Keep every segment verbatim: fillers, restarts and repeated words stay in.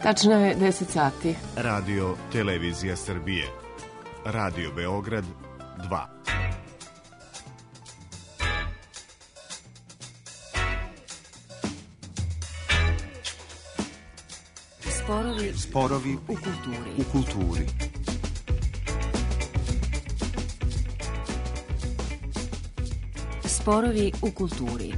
Tačno je deset sati. Radio Televizija Srbije. Radio Beograd dva. Sporovi, Sporovi u kulturi. U kulturi. Sporovi u kulturi.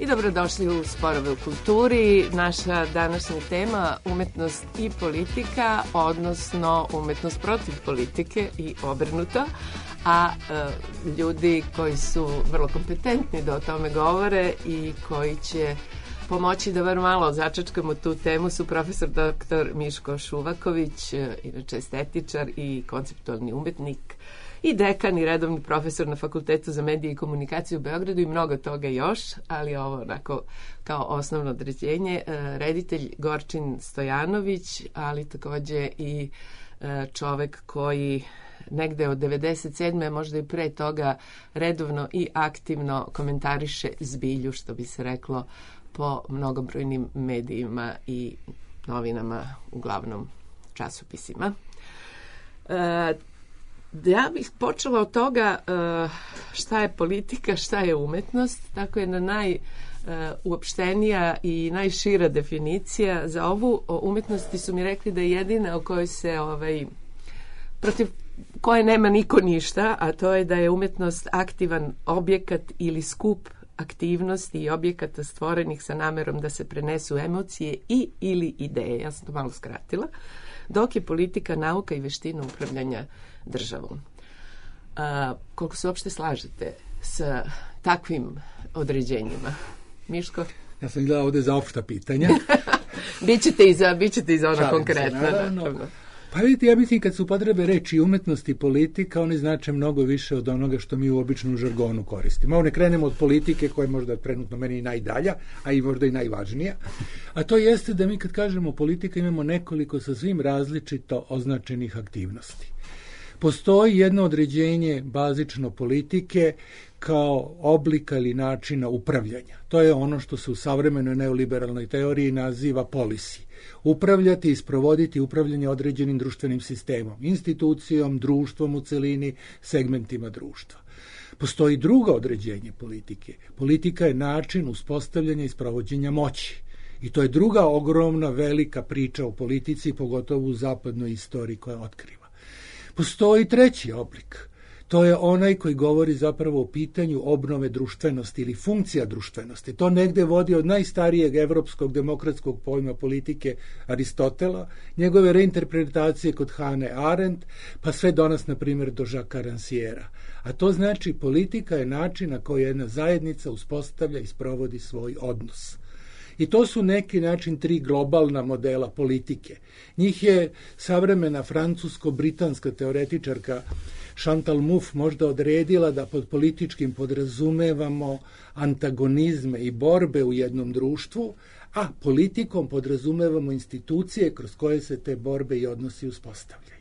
Dobrodošli u Sporove u kulturi. Naša današnja tema umetnost i politika, odnosno umetnost protiv politike i obrnuto. A e, ljudi koji su vrlo kompetentni da o tome govore i koji će pomoći da bar malo začačkamo tu temu su profesor doktor Miško Šuvaković, inače estetičar i konceptualni umetnik, i dekan i redovni profesor na Fakultetu za medije i komunikaciju u Beogradu i mnogo toga još, ali ovo onako kao osnovno određenje. Reditelj Gorčin Stojanović, ali takođe i čovek koji negde od devedeset sedme možda i pre toga redovno i aktivno komentariše zbilju, što bi se reklo, po mnogobrojnim medijima i novinama, uglavnom časopisima. E, Ja bih počela od toga šta je politika, šta je umetnost. Tako je na najuopštenija i najšira definicija za ovu umetnosti su mi rekli da je jedina o kojoj se ovaj, protiv koje nema niko ništa, a to je da je umetnost aktivan objekat ili skup aktivnosti i objekata stvorenih sa namerom da se prenesu emocije i ili ideje. Ja sam to malo skratila. Dok je politika nauka i veština upravljanja državom. A, koliko se uopšte slažete sa takvim određenjima? Miško? Ja sam gledala ovde za opšta pitanja. Bićete i za, bićete i za ono konkretno. Pa vidite, ja mislim kad su upotrebe reči umetnost i politika, oni znače mnogo više od onoga što mi u običnom žargonu koristimo. Ovo ne krenemo od politike koja je možda trenutno meni najdalja, a i možda i najvažnija. A to jeste da mi kad kažemo politika imamo nekoliko sa svim različito označenih aktivnosti. Postoji jedno određenje bazično politike kao oblika ili načina upravljanja. To je ono što se u savremenoj neoliberalnoj teoriji naziva policy. Upravljati i sprovoditi upravljanje određenim društvenim sistemom, institucijom, društvom u celini, segmentima društva. Postoji drugo određenje politike. Politika je način uspostavljanja i sprovođenja moći. I to je druga ogromna, velika priča o politici, pogotovo u zapadnoj istoriji koja otkriva. Postoji treći oblik. To je onaj koji govori zapravo o pitanju obnove društvenosti ili funkcija društvenosti. To negde vodi od najstarijeg evropskog demokratskog pojma politike Aristotela, njegove reinterpretacije kod Hane Arendt, pa sve do nas, na primjer, do Jacquesa Rancièra. A to znači politika je način na koji jedna zajednica uspostavlja i sprovodi svoj odnos. I to su neki način tri globalna modela politike. Njih je savremena francusko-britanska teoretičarka Chantal Mouffe možda odredila da pod političkim podrazumevamo antagonizme i borbe u jednom društvu, a politikom podrazumevamo institucije kroz koje se te borbe i odnosi uspostavljaju.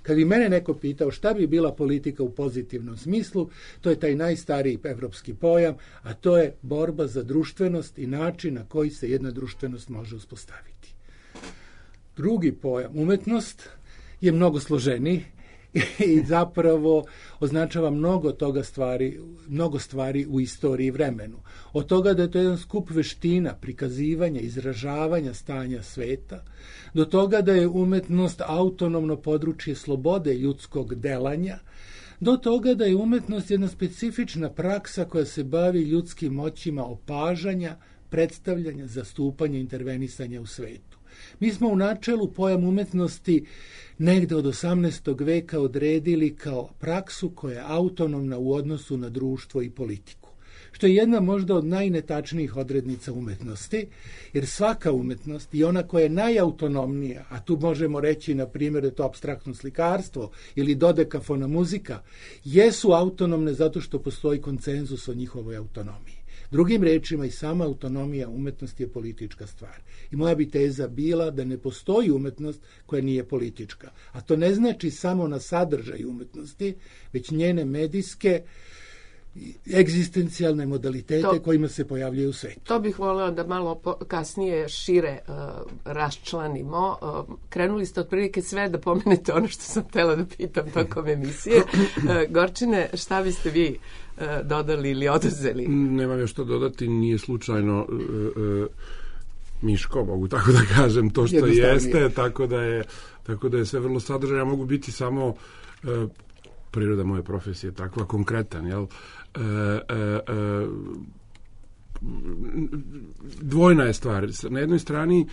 Kad bi mene neko pitao šta bi bila politika u pozitivnom smislu, to je taj najstariji evropski pojam, a to je borba za društvenost i način na koji se jedna društvenost može uspostaviti. Drugi pojam, umetnost, je mnogo složeniji i zapravo označava mnogo toga stvari, mnogo stvari u istoriji i vremenu. Od toga da je to jedan skup veština, prikazivanja, izražavanja stanja sveta, do toga da je umetnost autonomno područje slobode ljudskog delanja, do toga da je umetnost jedna specifična praksa koja se bavi ljudskim moćima opažanja, predstavljanja, zastupanja, intervenisanja u svetu. Mi smo u načelu pojam umetnosti negde od osamnaestog veka odredili kao praksu koja je autonomna u odnosu na društvo i politiku. što je jedna možda od najnetačnijih odrednica umetnosti, jer svaka umetnost i ona koja je najautonomnija, a tu možemo reći na primjer da je to apstraktno slikarstvo ili dodekafona muzika, jesu autonomne zato što postoji konsenzus o njihovoj autonomiji. Drugim rečima, i sama autonomija umetnosti je politička stvar. I moja bi teza bila da ne postoji umetnost koja nije politička. A to ne znači samo na sadržaj umetnosti, već njene medijske, egzistencijalne modalitete to, kojima se pojavljaju u svetu. To bih voleo da malo po, kasnije šire uh, raščlanimo. Uh, krenuli ste otprilike sve da pomenete ono što sam htjela da pitam tokom emisije. Uh, Gorčine, šta biste vi uh, dodali ili oduzeli? Nemam još što dodati, nije slučajno uh, uh, Miško, mogu tako da kažem, to što jeste, tako da je, tako da je sve vrlo sadržajno. Ja mogu biti samo uh, priroda moje profesije takva, konkretan, jel? E, e, e, dvojna je stvar. Na jednoj strani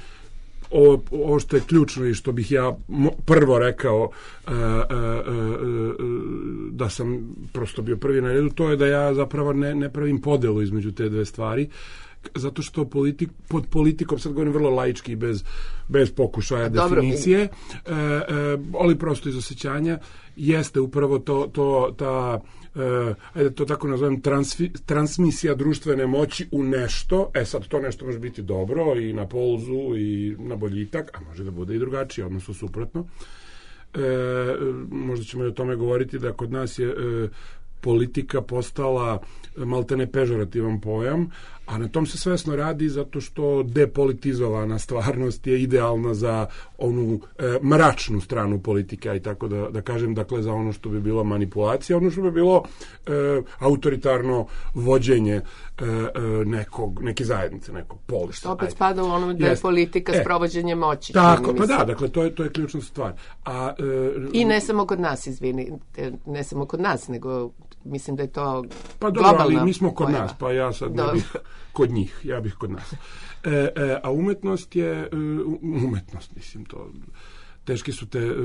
ovo, ovo što je ključno i što bih ja prvo rekao e, e, e, da sam prosto bio prvi na redu, to je da ja zapravo ne, ne pravim podelu između te dve stvari, zato što politik, pod politikom, sad govorim vrlo laički, bez, bez pokušaja Dobro, definicije, e, e, ali prosto iz osjećanja, jeste upravo to, to ta, e, ajde to tako nazovem, transfi, transmisija društvene moći u nešto. E sad, to nešto može biti dobro i na polzu i na boljitak, a može da bude i drugačije, odnosno suprotno. E, možda ćemo i o tome govoriti da kod nas je e, politika postala maltene pežorativan pojam, a na tom se svesno radi zato što depolitizovana stvarnost je idealna za onu e, mračnu stranu politike, i tako da, da kažem, dakle za ono što bi bilo manipulacija, ono što bi bilo e, autoritarno vođenje e, e, nekog, neke zajednice, nekog polisa. Što opet spada u ono da je Jest. politika e, sprovođenje moći. Tako, pa da, dakle to je, to je ključna stvar. A, e, I ne samo kod nas, izvini, ne samo kod nas, nego mislim da je to pa dobro, ali mi smo kod pojava. Nas, pa ja sad ne bih kod njih, ja bih kod nas. E, e, a umetnost je, umetnost, mislim, to, teške su te,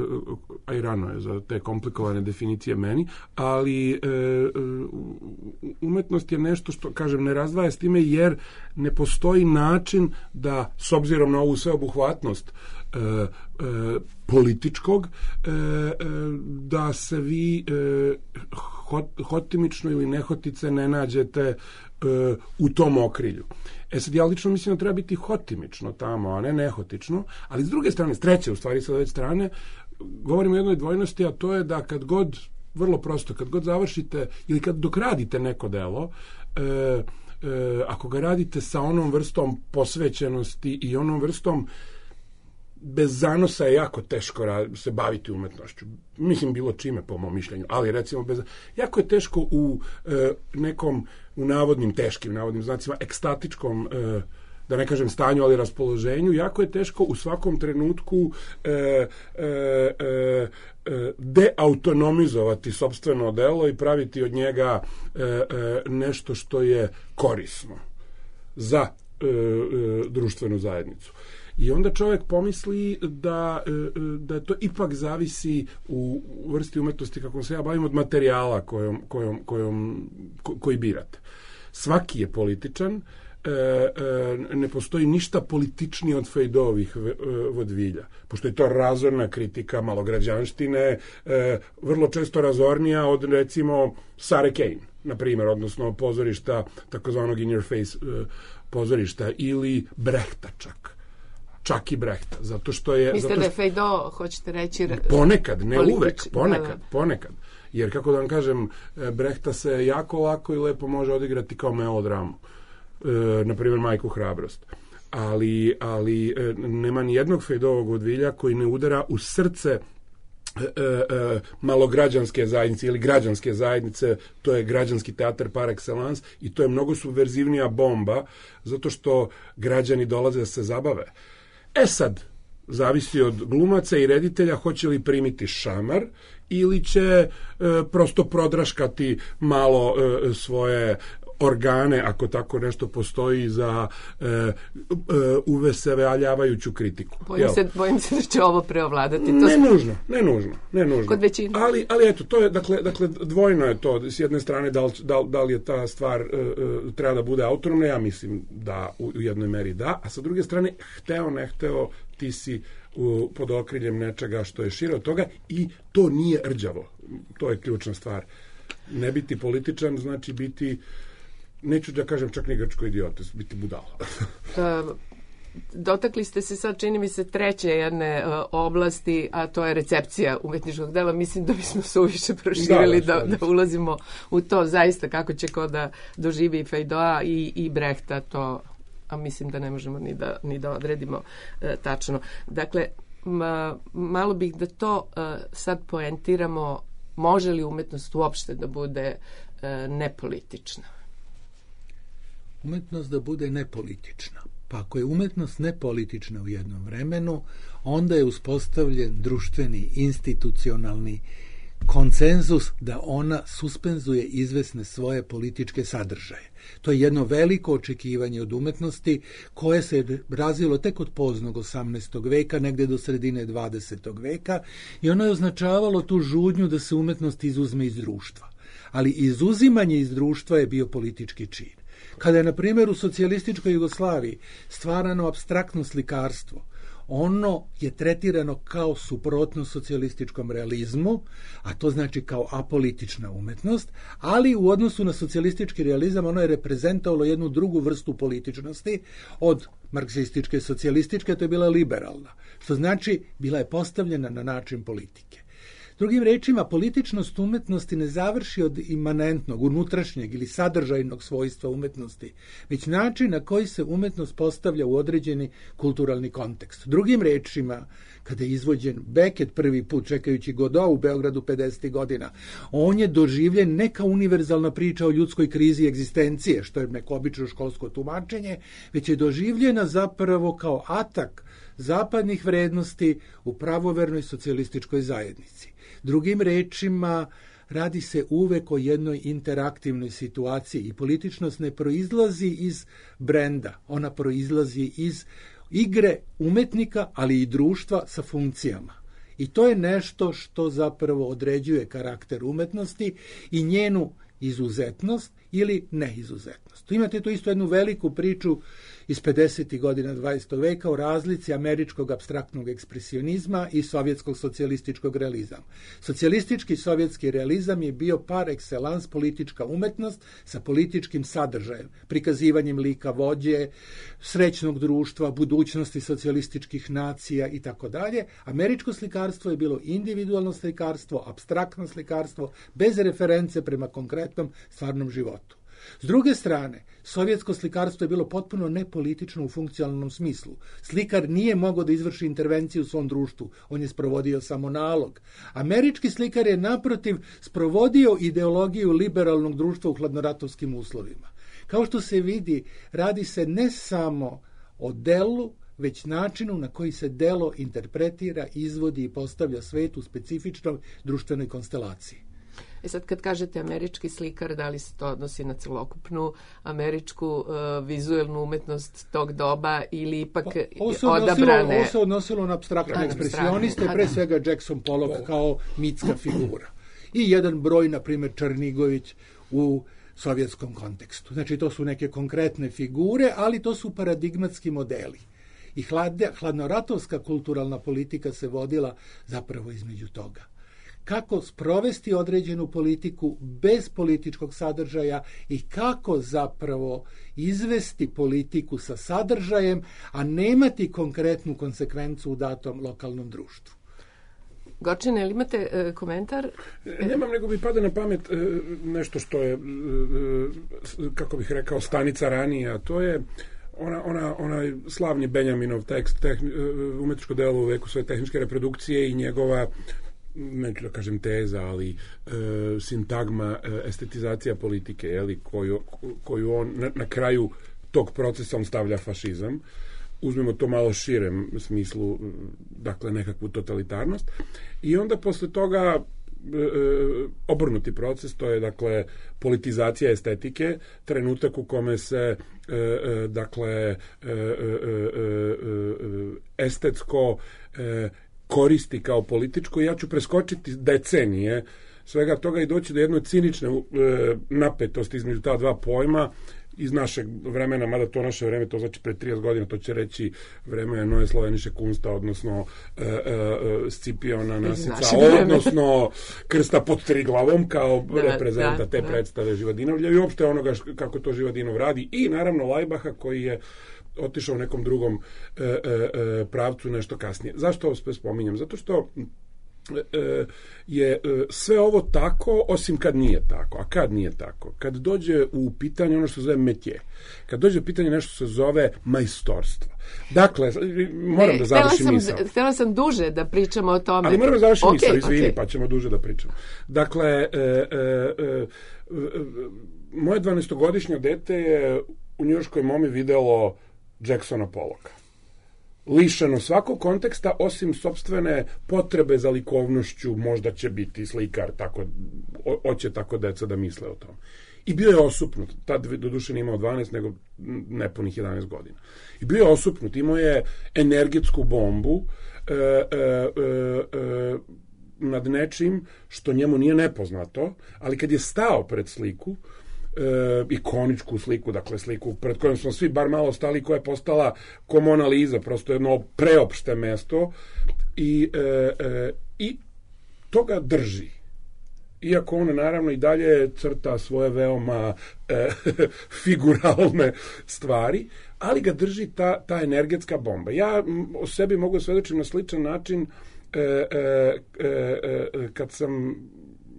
a i rano je za te komplikovane definicije meni, ali e, umetnost je nešto što, kažem, ne razdvaja s time, jer ne postoji način da, s obzirom na ovu sveobuhvatnost e, e, političkog, e, e, da se vi e, hot, hotimično ili nehotice ne nađete e, u tom okrilju. E sad, ja lično mislim da treba biti hotimično tamo, a ne nehotično, ali s druge strane, s treće u stvari, sa ove strane, govorimo o jednoj dvojnosti, a to je da kad god, vrlo prosto, kad god završite ili kad dok radite neko delo, e, e, ako ga radite sa onom vrstom posvećenosti i onom vrstom, bez zanosa je jako teško se baviti umetnošću. Mislim, bilo čime, po mom mišljenju, ali recimo bez... jako je teško u e, nekom, u navodnim, teškim navodnim znacima, ekstatičkom, e, da ne kažem stanju, ali raspoloženju, jako je teško u svakom trenutku e, e, e, deautonomizovati sopstveno delo i praviti od njega e, e, nešto što je korisno za e, e, društvenu zajednicu. I onda čovjek pomisli da, da to ipak zavisi u vrsti umetnosti, kako se ja bavim, od materijala kojom, kojom, kojom, ko, koji birate. Svaki je političan, ne postoji ništa političnije od Fejdovih vodvilja, pošto je to razorna kritika malograđanštine, vrlo često razornija od, recimo, Sare Kane, na primjer, odnosno pozorišta, takozvanog in your face pozorišta, ili Brehta čak. Čak i Brehta, zato što je... Mislite zato što, da je Feydeau, hoćete reći... Ponekad, ne politič, uvek, ponekad, da, da. ponekad. Jer, kako da vam kažem, Brehta se jako lako i lepo može odigrati kao melodramu. E, na primjer, Majku hrabrost. Ali, ali e, nema ni jednog Feydeauovog vodvilja koji ne udara u srce e, e, malograđanske zajednice ili građanske zajednice. To je građanski teatar par excellence i to je mnogo subverzivnija bomba, zato što građani dolaze da se zabave. E sad, zavisi od glumaca i reditelja hoće li primiti šamar ili će e, prosto prodraškati malo e, svoje organe, ako tako nešto postoji, za uh, uh, uveseljavajuću kritiku. Bojim se, bojim se da će ovo preovladati. To ne smo... nužno, ne nužno, ne nužno. Kod većine. Ali, ali eto, to je, dakle, dakle, dvojno je to. S jedne strane, da li, da li, da li je ta stvar uh, uh, treba da bude autonomna, ja mislim da u, u jednoj meri da, a sa druge strane, hteo, ne hteo, ti si u, pod okriljem nečega što je šire od toga i to nije rđavo. To je ključna stvar. Ne biti političan znači biti, neću da kažem čak ni grčko idiote, biti budala. uh, dotakli ste se sad, čini mi se, treće jedne uh, oblasti, a to je recepcija umetničkog dela. Mislim da bismo se uviše proširili da, da, da, da ulazimo u to zaista kako će ko da doživi Feydeau i, i Brehta, to a mislim da ne možemo ni da, ni da odredimo uh, tačno. Dakle, ma, malo bih da to uh, sad poentiramo, može li umetnost uopšte da bude uh, nepolitična? Umetnost da bude nepolitična. Pa ako je umetnost nepolitična u jednom vremenu, onda je uspostavljen društveni, institucionalni konsenzus da ona suspenzuje izvesne svoje političke sadržaje. To je jedno veliko očekivanje od umetnosti koje se razvilo tek od poznog osamnaestog veka, negde do sredine dvadesetog veka, i ono je označavalo tu žudnju da se umetnost izuzme iz društva. Ali izuzimanje iz društva je bio politički čin. Kada je, na primjer, u socijalističkoj Jugoslaviji stvarano apstraktno slikarstvo, ono je tretirano kao suprotno socijalističkom realizmu, a to znači kao apolitična umetnost, ali u odnosu na socijalistički realizam ono je reprezentovalo jednu drugu vrstu političnosti od marksističke i socijalističke, to je bila liberalna, što znači bila je postavljena na način politike. Drugim rečima, političnost umetnosti ne završi od imanentnog, unutrašnjeg ili sadržajnog svojstva umetnosti, već način na koji se umetnost postavlja u određeni kulturalni kontekst. Drugim rečima, kada je izvođen Beckett prvi put, čekajući Godot u Beogradu pedesetih godina, on je doživljen ne kao univerzalna priča o ljudskoj krizi egzistencije, što je neko obično školsko tumačenje, već je doživljena zapravo kao atak zapadnih vrednosti u pravovernoj socijalističkoj zajednici. Drugim rečima, radi se uvek o jednoj interaktivnoj situaciji i političnost ne proizlazi iz brenda, ona proizlazi iz igre umetnika, ali i društva sa funkcijama. I to je nešto što zapravo određuje karakter umetnosti i njenu izuzetnost ili neizuzetnost. Tu imate tu isto jednu veliku priču iz pedesetih godina dvadesetog veka o razlici američkog apstraktnog ekspresionizma i sovjetskog socijalističkog realizama. Socijalistički sovjetski realizam je bio par excellence politička umetnost sa političkim sadržajem, prikazivanjem lika vođe, srećnog društva, budućnosti socijalističkih nacija i tako dalje. Američko slikarstvo je bilo individualno slikarstvo, apstraktno slikarstvo, bez reference prema konkretnom stvarnom životu. S druge strane, sovjetsko slikarstvo je bilo potpuno nepolitično u funkcionalnom smislu. Slikar nije mogao da izvrši intervenciju u svom društvu, on je sprovodio samo nalog. Američki slikar je naprotiv sprovodio ideologiju liberalnog društva u hladnoratovskim uslovima. Kao što se vidi, radi se ne samo o delu, već načinu na koji se delo interpretira, izvodi i postavlja svet u specifičnoj društvenoj konstelaciji. E sad kad kažete američki slikar, da li se to odnosi na celokupnu američku uh, vizuelnu umetnost tog doba ili ipak ovo se odabrane... Ovo se odnosilo na apstraktne ekspresioniste, pre svega Jackson Pollock kao mitska figura. I jedan broj, na primjer, Černigović u sovjetskom kontekstu. Znači, to su neke konkretne figure, ali to su paradigmatski modeli. I hladne, hladnoratovska kulturalna politika se vodila zapravo između toga. Kako sprovesti određenu politiku bez političkog sadržaja i kako zapravo izvesti politiku sa sadržajem, a nemati konkretnu konsekvencu u datom lokalnom društvu. Gorčine, ili imate e, komentar? Nemam, nego mi pada na pamet e, nešto što je, e, kako bih rekao, stanica ranije, a to je ona, ona, onaj slavni Benjaminov tekst, tehni, umetničko delo u veku svoje tehničke reprodukcije i njegova, neću da kažem teza, ali e, sintagma e, estetizacija politike, jeli, koju, koju on na, na kraju tog procesa on stavlja fašizam. Uzmemo to malo širem smislu, dakle nekakvu totalitarnost. I onda posle toga obrnuti proces, to je dakle politizacija estetike, trenutak u kome se dakle estetsko koristi kao političko. Ja ću preskočiti decenije svega toga i doći do jedne cinične napetosti između ta dva pojma iz našeg vremena, mada to naše vreme, to znači pre trideset godina, to će reći vreme Noje Sloveniše Kunsta, odnosno e, e, Scipiona Nasica, odnosno Krsta pod Triglavom kao da, reprezenta da, te da. predstave Živadinovlja i uopšte onoga kako to Živadinov radi i naravno Lajbaha koji je otišao u nekom drugom e, e, pravcu nešto kasnije. Zašto ovo sve spominjem? Zato što je sve ovo tako, osim kad nije tako. A kad nije tako? Kad dođe u pitanje ono što se zove metje. Kad dođe u pitanje nešto što se zove majstorstvo. Dakle, moram ne, da završim sam, misao. Htjela sam duže da pričamo o tome. Ali moram da završim okay, misao, izvini, okay. pa ćemo duže da pričamo. Dakle, e, e, e, moje dvanaestogodišnje dete je u njujorškoj Momi videlo Jacksona Pollocka. Lišeno svakog konteksta, osim sopstvene potrebe za likovnošću, možda će biti slikar, tako, hoće tako deca da misle o tom. I bio je osupnut, tad doduše nije imao dvanaest, nego nepunih jedanaest godina. I bio je osupnut, imao je energetsku bombu e, e, e, nad nečim što njemu nije nepoznato, ali kad je stao pred sliku, E, ikoničku sliku, dakle sliku pred kojom smo svi bar malo stali, koja je postala ko Mona Lisa, prosto jedno preopšte mesto i, e, e, i toga drži. Iako on naravno i dalje crta svoje veoma e, figuralne stvari, ali ga drži ta, ta energetska bomba. Ja o sebi mogu svedočiti na sličan način e, e, e, kad sam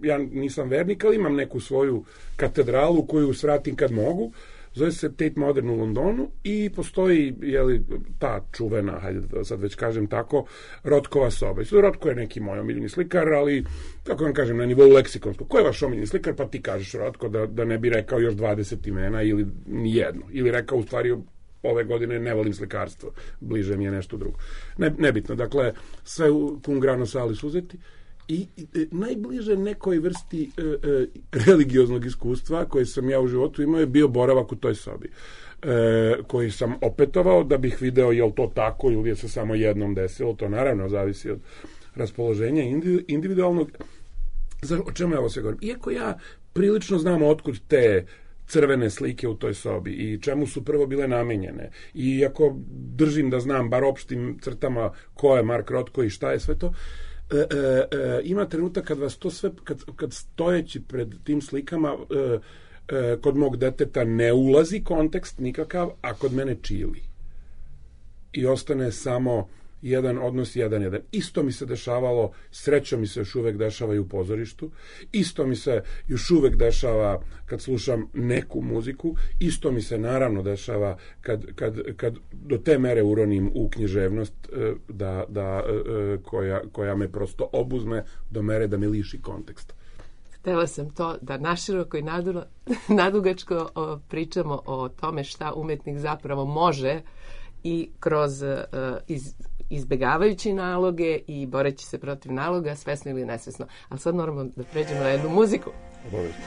ja nisam vernik, ali imam neku svoju katedralu koju svratim kad mogu. Zove se Tate Modern u Londonu i postoji jeli, ta čuvena, hajde da sad već kažem tako, Rotkova soba. I Rotko je neki moj omiljeni slikar, ali, kako vam kažem, na nivou leksikonskog. Ko je vaš omiljeni slikar? Pa ti kažeš Rotko, da, da ne bi rekao još dvadeset imena ili nijedno. Ili rekao u stvari ove godine ne volim slikarstvo, bliže mi je nešto drugo. Ne, nebitno, dakle, sve u cum grano salis uzeti. I e, najbliže nekoj vrsti e, e, religioznog iskustva koje sam ja u životu imao je bio boravak u toj sobi, e, koji sam opetovao da bih video je li to tako ili je se samo jednom desilo. To naravno zavisi od raspoloženja individualnog. O čemu ja ovo sve govorim? Iako ja prilično znam otkud te crvene slike u toj sobi i čemu su prvo bile namenjene, i iako držim da znam bar opštim crtama ko je Mark Rothko i šta je sve to, E, e, e, ima trenutak kad vas to sve, kad, kad stojeći pred tim slikama e, e, kod mog deteta ne ulazi kontekst nikakav, a kod mene čili i ostane samo jedan odnos, jedan, jedan. Isto mi se dešavalo, sreća mi se još uvek dešava i u pozorištu, isto mi se još uvek dešava kad slušam neku muziku, isto mi se naravno dešava kad, kad, kad do te mere uronim u književnost da, da, koja, koja me prosto obuzme do mere da me liši konteksta. Htela sam to da naširoko i nadugačko pričamo o tome šta umetnik zapravo može i kroz iz izbegavajući naloge i boreći se protiv naloga, svesno ili nesvesno. Ali sad moramo da pređemo na jednu muziku. Obavezno.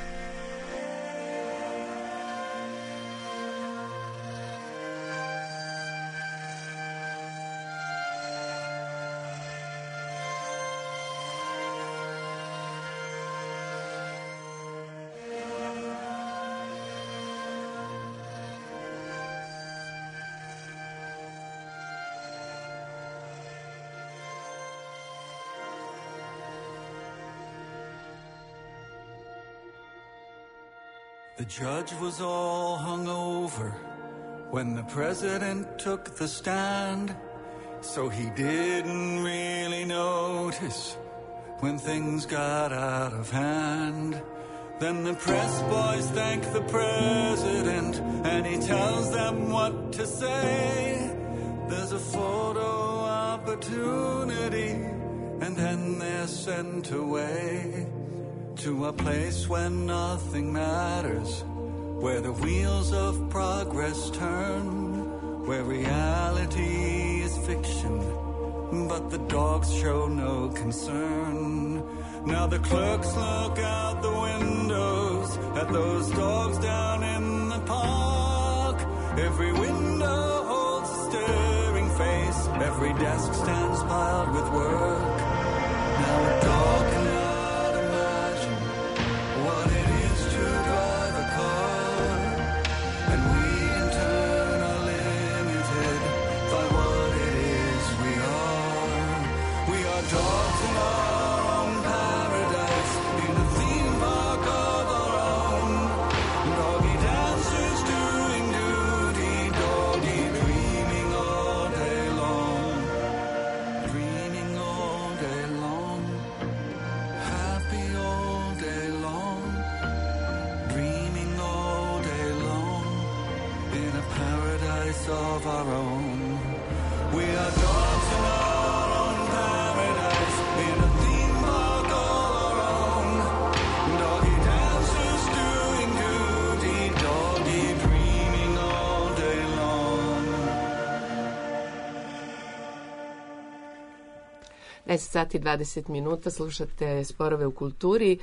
The judge was all hungover when the president took the stand, so he didn't really notice when things got out of hand. Then the press boys thank the president and he tells them what to say. There's a photo opportunity and then they're sent away to a place where nothing matters, where the wheels of progress turn, where reality is fiction, but the dogs show no concern. Now the clerks look out the windows at those dogs down in the park. Every window holds a staring face. Every desk stands piled with work. Now a dog cannot imagine what it is to drive a car. And we in turn are limited by what it is we are. We are dogs in our own paradise, in a theme park of our own. Doggy dancers doing duty, doggy dreaming all day long. Dreaming all day long, happy all day long. Dreaming all day long, in a paradise of our own. We are dogs in our own paradise, in a theme park all our own. Doggy dancers doing duty, doggy dreaming all day long. deset sati i dvadeset minuta, slušate Sporove u kulturi,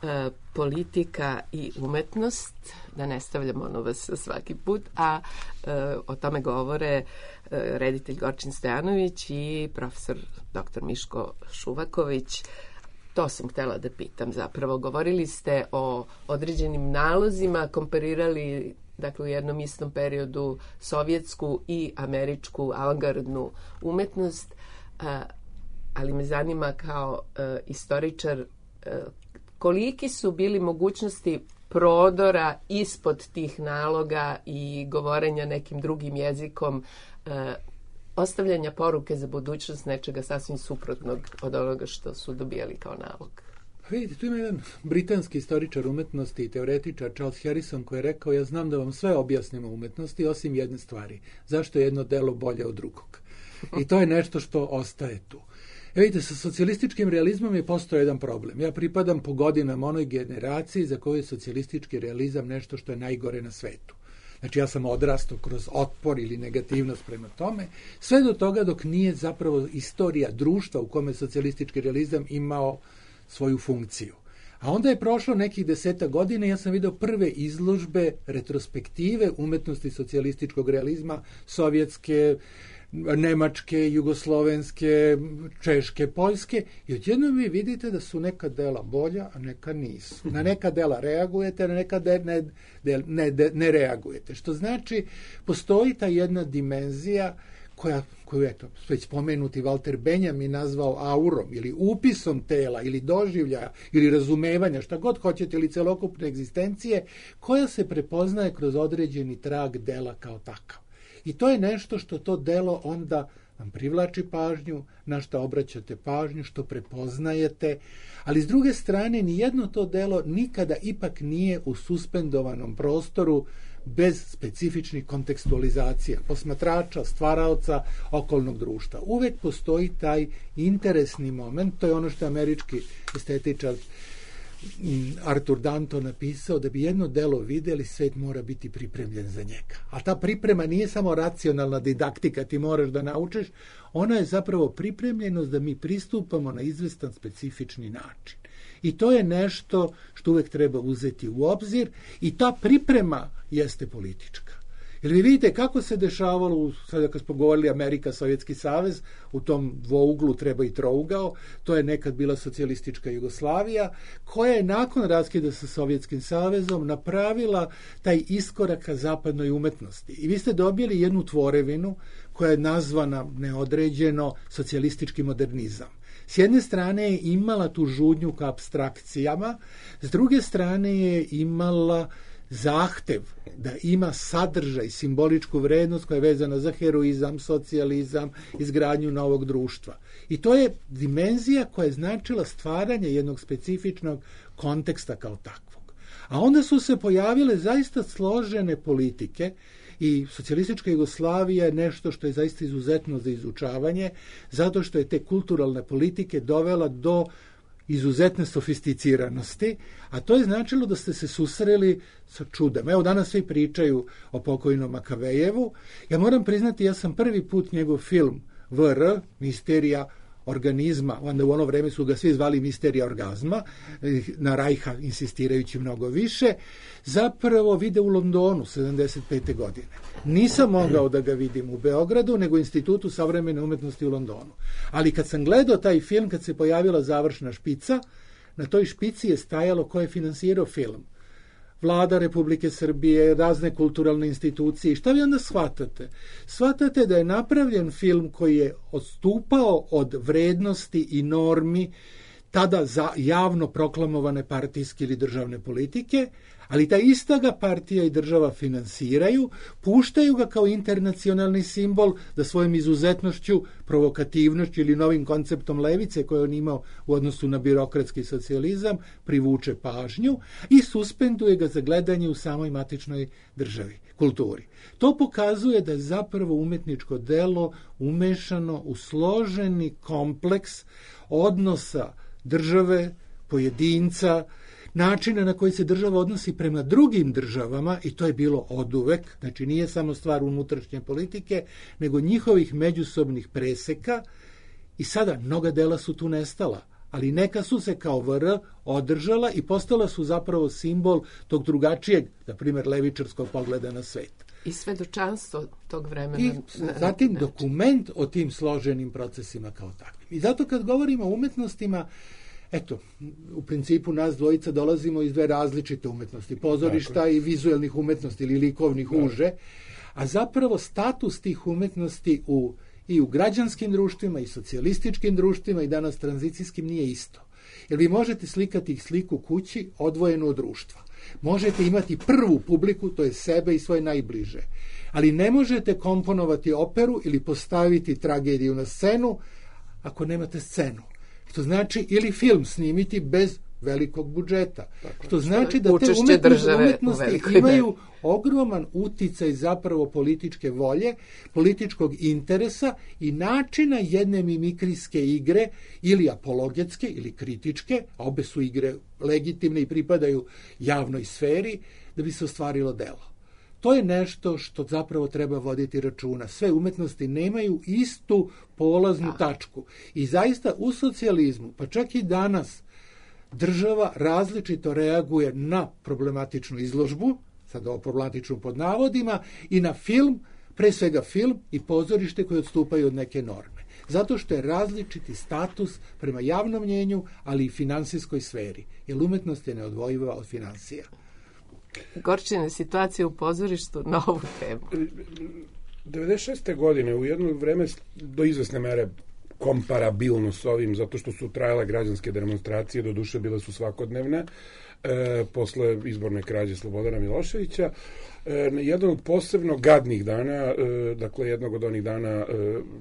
e, politika i umetnost, da ne stavljamo ono vas svaki put, a e, o tome govore e, reditelj Gorčin Stojanović i profesor doktor Miško Šuvaković. To sam htjela da pitam zapravo. Govorili ste o određenim nalozima, komparirali dakle u jednom istom periodu sovjetsku i američku avangardnu umetnost, a, ali me zanima kao e, istoričar e, koliki su bili mogućnosti prodora ispod tih naloga i govorenja nekim drugim jezikom, e, ostavljanja poruke za budućnost nečega sasvim suprotnog od onoga što su dobijali kao nalog. Vidite, tu ima jedan britanski istoričar umetnosti i teoretičar Charles Harrison koji je rekao: ja znam da vam sve objasnim o umetnosti osim jedne stvari. Zašto je jedno delo bolje od drugog? I to je nešto što ostaje tu. E vidite, sa socijalističkim realizmom je postao jedan problem. Ja pripadam po godinama onoj generaciji za koju je socijalistički realizam nešto što je najgore na svetu. Znači ja sam odrastao kroz otpor ili negativnost prema tome, sve do toga dok nije zapravo istorija društva u kome socijalistički realizam imao svoju funkciju. A onda je prošlo nekih deseta godina i ja sam vidio prve izložbe, retrospektive umetnosti socijalističkog realizma, sovjetske, nemačke, jugoslovenske, češke, poljske, i odjednom vi vidite da su neka dela bolja, a neka nisu. Na neka dela reagujete, na neka de, ne, de, ne, de, ne reagujete. Što znači, postoji ta jedna dimenzija koja, koju eto, već spomenuti Walter Benjamin nazvao aurom ili upisom tela ili doživljaja ili razumevanja, šta god hoćete, ili celokupne egzistencije, koja se prepoznaje kroz određeni trag dela kao takav. I to je nešto što to delo onda vam privlači pažnju, na šta obraćate pažnju, što prepoznajete, ali s druge strane nijedno to delo nikada ipak nije u suspendovanom prostoru bez specifičnih kontekstualizacija, posmatrača, stvaraoca, okolnog društva. Uvek postoji taj interesni moment, to je ono što je američki estetičar Arthur Danton napisao: da bi jedno delo videli, svet mora biti pripremljen za njega. A ta priprema nije samo racionalna didaktika, ti moraš da naučiš, ona je zapravo pripremljenost da mi pristupamo na izvestan specifični način. I to je nešto što uvek treba uzeti u obzir i ta priprema jeste politička. Jer vi vidite kako se dešavalo, sada kad smo govorili Amerika, Sovjetski savez, u tom dvouglu treba i trougao, to je nekad bila socijalistička Jugoslavija, koja je nakon raskida sa Sovjetskim savezom napravila taj iskorak ka zapadnoj umetnosti. I vi ste dobili jednu tvorevinu koja je nazvana neodređeno socijalistički modernizam. S jedne strane je imala tu žudnju ka apstrakcijama, s druge strane je imala zahtev da ima sadržaj, simboličku vrednost koja je vezana za heroizam, socijalizam, izgradnju novog društva. I to je dimenzija koja je značila stvaranje jednog specifičnog konteksta kao takvog. A onda su se pojavile zaista složene politike i socijalistička Jugoslavija je nešto što je zaista izuzetno za izučavanje, zato što je te kulturalne politike dovela do izuzetne sofisticiranosti, a to je značilo da ste se susreli sa čudem. Evo, danas svi pričaju o pokojnom Makavejevu. Ja moram priznati, ja sam prvi put njegov film V R, Misterija organizma, onda u ono vreme su ga svi zvali misterija orgazma, na Rajha insistirajući mnogo više, zapravo vide u Londonu sedamdeset pete godine. Nisam mogao da ga vidim u Beogradu, nego u Institutu savremene umetnosti u Londonu. Ali kad sam gledao taj film, kad se pojavila završna špica, na toj špici je stajalo ko je finansirao film. Vlada Republike Srbije, razne kulturalne institucije. I šta vi onda shvatate? Shvatate da je napravljen film koji je odstupao od vrednosti i normi tada za javno proklamovane partijske ili državne politike, ali ta ista ga partija i država finansiraju, puštaju ga kao internacionalni simbol da svojom izuzetnošću, provokativnošću ili novim konceptom levice koje on imao u odnosu na birokratski socijalizam privuče pažnju i suspenduje ga za gledanje u samoj matičnoj državi, kulturi. To pokazuje da je zapravo umetničko delo umešano u složeni kompleks odnosa države, pojedinca, načina na koji se država odnosi prema drugim državama, i to je bilo oduvek, znači nije samo stvar unutrašnje politike, nego njihovih međusobnih preseka, i sada mnoga dela su tu nestala, ali neka su se kao V R održala i postala su zapravo simbol tog drugačijeg, na primjer, levičarskog pogleda na svet. I svedočanstvo tog vremena. I zatim dokument o tim složenim procesima kao takvim. I zato kad govorimo o umetnostima, eto, u principu nas dvojica dolazimo iz dve različite umetnosti, pozorišta dakle. I vizuelnih umetnosti ili likovnih da. Uže, a zapravo status tih umetnosti u, i u građanskim društvima i socijalističkim društvima i danas tranzicijskim nije isto. Jer vi možete slikati ih sliku kući odvojenu od društva. Možete imati prvu publiku, to je sebe i svoje najbliže, ali ne možete komponovati operu ili postaviti tragediju na scenu ako nemate scenu. Što znači ili film snimiti bez velikog budžeta. Tako, što znači da te umetnosti, umetnosti imaju ogroman uticaj zapravo političke volje, političkog interesa i načina jedne mimikrijske igre ili apologetske ili kritičke, a obe su igre legitimne i pripadaju javnoj sferi, da bi se ostvarilo delo. To je nešto što zapravo treba voditi računa. Sve umetnosti nemaju istu polaznu tačku. I zaista u socijalizmu, pa čak i danas, država različito reaguje na problematičnu izložbu, sad ovo problematičnu pod navodima, i na film, pre svega film i pozorište koje odstupaju od neke norme. Zato što je različiti status prema javnom mnjenju, ali i finansijskoj sferi. Jer umetnost je neodvojiva od finansija. Gorčine situacije u pozorištu na ovu temu. devedeset šeste godine u jedno vreme do izvesne mere komparabilno s ovim, zato što su trajale građanske demonstracije, do duše bile su svakodnevne, e, posle izborne krađe Slobodana Miloševića. E, jedan od posebno gadnih dana, e, dakle jednog od onih dana, e,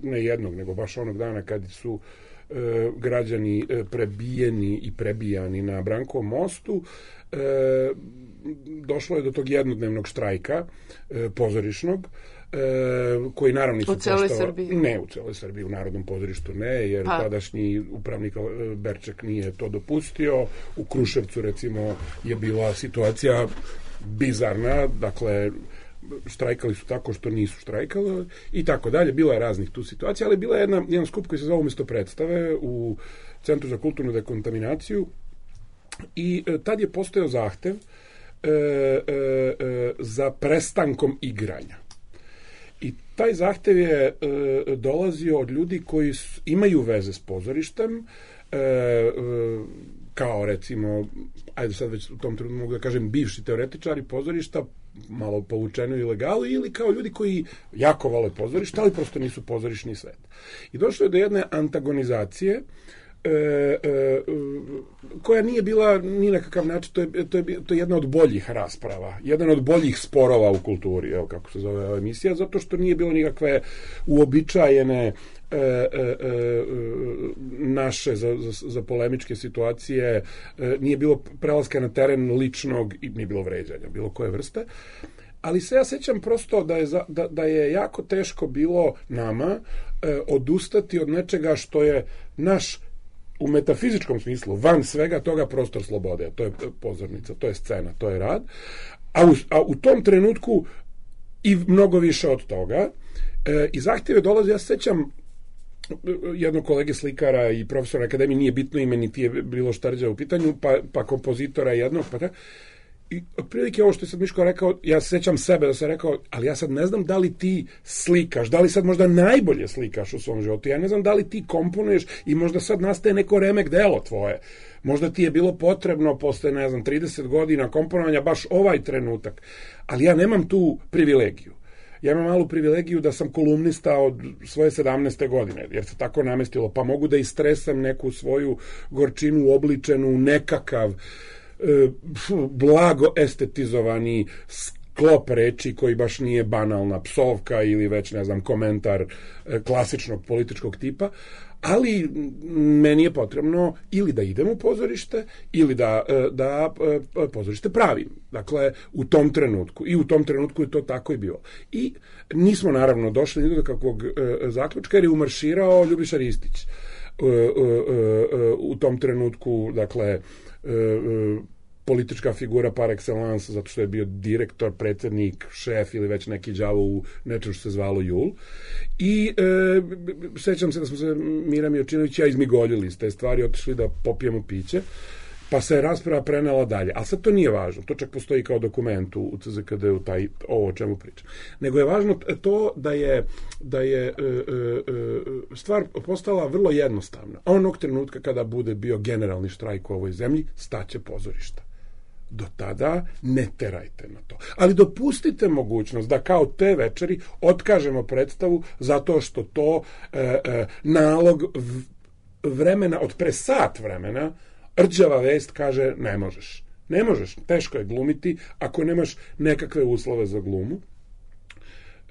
ne jednog, nego baš onog dana kad su e, građani e, prebijeni i prebijani na Brankovom mostu, e, došlo je do tog jednodnevnog štrajka e, pozorišnog, e, koji naravno nisu u celoj Srbiji? Ne, u celoj Srbiji, u Narodnom pozorištu ne, jer pa. tadašnji upravnik Berček nije to dopustio. U Kruševcu, recimo, je bila situacija bizarna, dakle, štrajkali su tako što nisu štrajkali i tako dalje. Bilo je raznih tu situacija, ali bila je jedna, jedan skup koji se zove Umesto predstave u Centru za kulturnu dekontaminaciju i e, tad je postojao zahtev E, e, e, za prestankom igranja. I taj zahtev je e, dolazio od ljudi koji su, imaju veze s pozorištem, e, e, kao recimo, ajde sad već u tom trenutku mogu da kažem, bivši teoretičari pozorišta, malo povučeno ilegali, ili kao ljudi koji jako vole pozorište, ali prosto nisu pozorišni svet. I došlo je do jedne antagonizacije, E, e, koja nije bila ni na kakav način, to je, to, je, to je jedna od boljih rasprava, jedan od boljih sporova u kulturi, evo kako se zove ova emisija, zato što nije bilo nikakve uobičajene e, e, e, naše za, za, za polemičke situacije, e, nije bilo prelaska na teren ličnog i nije bilo vređanja, bilo koje vrste. Ali se ja sećam prosto da je, za, da, da je jako teško bilo nama e, odustati od nečega što je naš u metafizičkom smislu, van svega toga, prostor slobode. To je pozornica, to je scena, to je rad. A u, a u tom trenutku i mnogo više od toga. E, I zahtjeve dolaze, ja se sećam jednog kolege slikara i profesora akademije, nije bitno ime, niti je bilo štarđa u pitanju, pa, pa kompozitora jednog, pa tako. I otprilike ovo što je sad Miško rekao, ja se sećam sebe da sam rekao, ali ja sad ne znam da li ti slikaš, da li sad možda najbolje slikaš u svom životu, ja ne znam da li ti komponuješ i možda sad nastaje neko remek delo tvoje. Možda ti je bilo potrebno posle, ne znam, trideset godina komponovanja baš ovaj trenutak, ali ja nemam tu privilegiju. Ja imam malu privilegiju da sam kolumnista od svoje sedamnaeste godine, jer se tako namestilo, pa mogu da istresam neku svoju gorčinu uobličenu u nekakav e, blago estetizovani sklop reči koji baš nije banalna psovka ili već, ne znam, komentar e, klasičnog političkog tipa, ali meni je potrebno ili da idem u pozorište ili da, da pozorište pravim. Dakle, u tom trenutku. I u tom trenutku je to tako i bilo. I nismo naravno došli ni do kakvog zaključka jer je umarširao Ljubiša Ristić. U tom trenutku, dakle, politička figura par excellence, zato što je bio direktor, predsjednik, šef ili već neki đavo u nečem što se zvalo Jul. I e, sećam se da smo se Mira Miječinović i ja izmigoljili iz te stvari, otišli da popijemo piće, pa se je rasprava prenela dalje. Ali sad to nije važno, to čak postoji kao dokument u C Z K D-u, taj, ovo o čemu pričam. Nego je važno to da je, da je e, e, stvar postala vrlo jednostavna. Onog trenutka kada bude bio generalni štrajk u ovoj zemlji, staće pozorišta. Do tada ne terajte na to. Ali dopustite mogućnost da kao te večeri otkažemo predstavu zato što to e, e, nalog vremena, od pre sat vremena, rđava vest kaže ne možeš. Ne možeš, teško je glumiti ako nemaš nekakve uslove za glumu.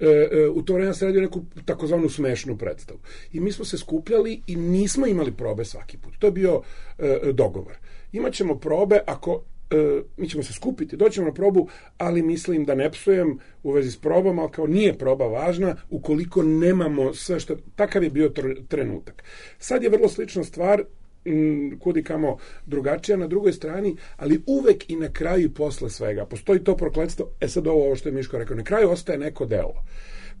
E, e, u to vreme se radio neku takozvanu smešnu predstavu. I mi smo se skupljali i nismo imali probe svaki put. To je bio e, dogovor. Imaćemo probe ako mi ćemo se skupiti, doćemo na probu, ali mislim da ne psujem u vezi s probom, ali kao nije proba važna ukoliko nemamo sve što... Takav je bio trenutak. Sad je vrlo slična stvar, kudi kamo drugačija na drugoj strani, ali uvek i na kraju i posle svega. Postoji to prokletstvo, e sad ovo, ovo što je Miško rekao, na kraju ostaje neko delo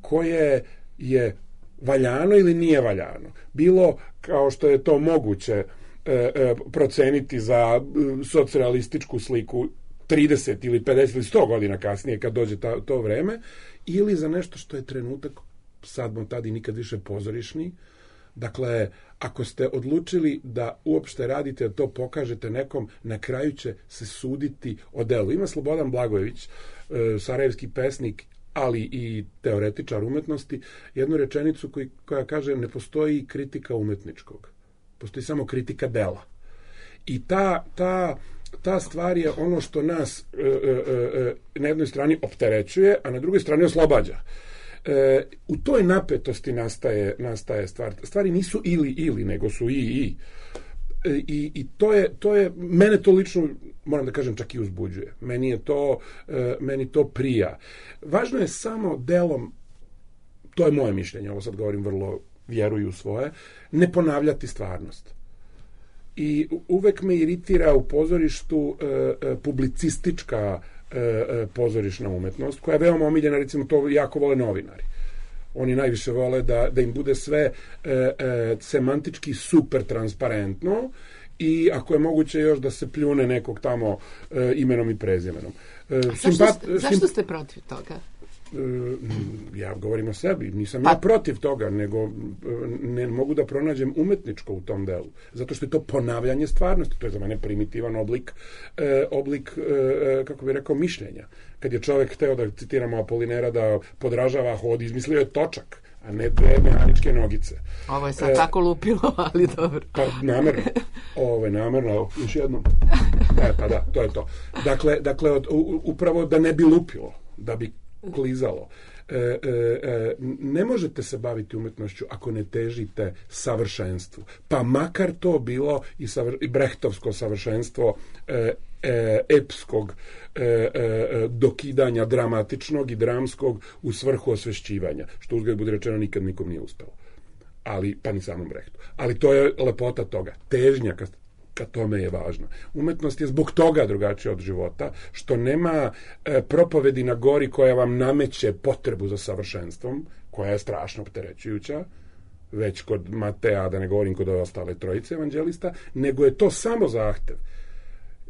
koje je valjano ili nije valjano. Bilo kao što je to moguće E, e, proceniti za e, socijalističku sliku trideset ili pedeset ili sto godina kasnije kad dođe ta, to vreme, ili za nešto što je trenutak sad bom tad i nikad više pozorišni. Dakle, ako ste odlučili da uopšte radite, da to pokažete nekom, na kraju će se suditi o delu. Ima Slobodan Blagojević, e, sarajevski pesnik, ali i teoretičar umetnosti, jednu rečenicu koji, koja kaže ne postoji kritika umetničkog. Postoji samo kritika dela. I ta, ta, ta stvar je ono što nas e, e, e, na jednoj strani opterećuje, a na drugoj strani oslobađa. E, u toj napetosti nastaje, nastaje stvar. Stvari nisu ili ili, nego su i i. E, i, i to je, to je, mene to lično, moram da kažem, čak i uzbuđuje. Meni je to, e, meni to prija. Važno je samo delom, to je moje mišljenje, ovo sad govorim vrlo vjeruju svoje, ne ponavljati stvarnost. I uvek me iritira u pozorištu e, e, publicistička e, e, pozorišna umetnost, koja je veoma omiljena, recimo to jako vole novinari. Oni najviše vole da, da im bude sve e, e, semantički super transparentno i ako je moguće još da se pljune nekog tamo e, imenom i prezimenom. E, zašto, ste, zašto ste protiv toga? Ja govorim o sebi, nisam pa. ja protiv toga, nego ne mogu da pronađem umetničko u tom delu, zato što je to ponavljanje stvarnosti, to je za mene primitivan oblik, eh, oblik eh, kako bih rekao, mišljenja. Kad je čovjek hteo, da citiramo Apolinera, da podražava hod, izmislio je točak, a ne dve mehaničke nogice. Ovo je sad e, tako lupilo, ali dobro. Pa namerno, ovo je namerno, još jednom. E, pa da, to je to. Dakle, dakle od, u, upravo da ne bi lupilo, da bi klizalo. E, e, e, ne možete se baviti umetnošću ako ne težite savršenstvu. Pa makar to bilo i, savr, i brehtovsko savršenstvo e, e, epskog e, e, dokidanja dramatičnog i dramskog u svrhu osvešćivanja, što uzgled bude rečeno nikad nikom nije uspelo. Ali, pa ni samom Brehtu. Ali to je lepota toga. Težnja ka, ka tome je važna. Umetnost je zbog toga drugačija od života, što nema e, propovedi na gori koja vam nameće potrebu za savršenstvom, koja je strašno opterećujuća, već kod Mateja, da ne govorim kod ove ostale trojice evanđelista, nego je to samo zahtev.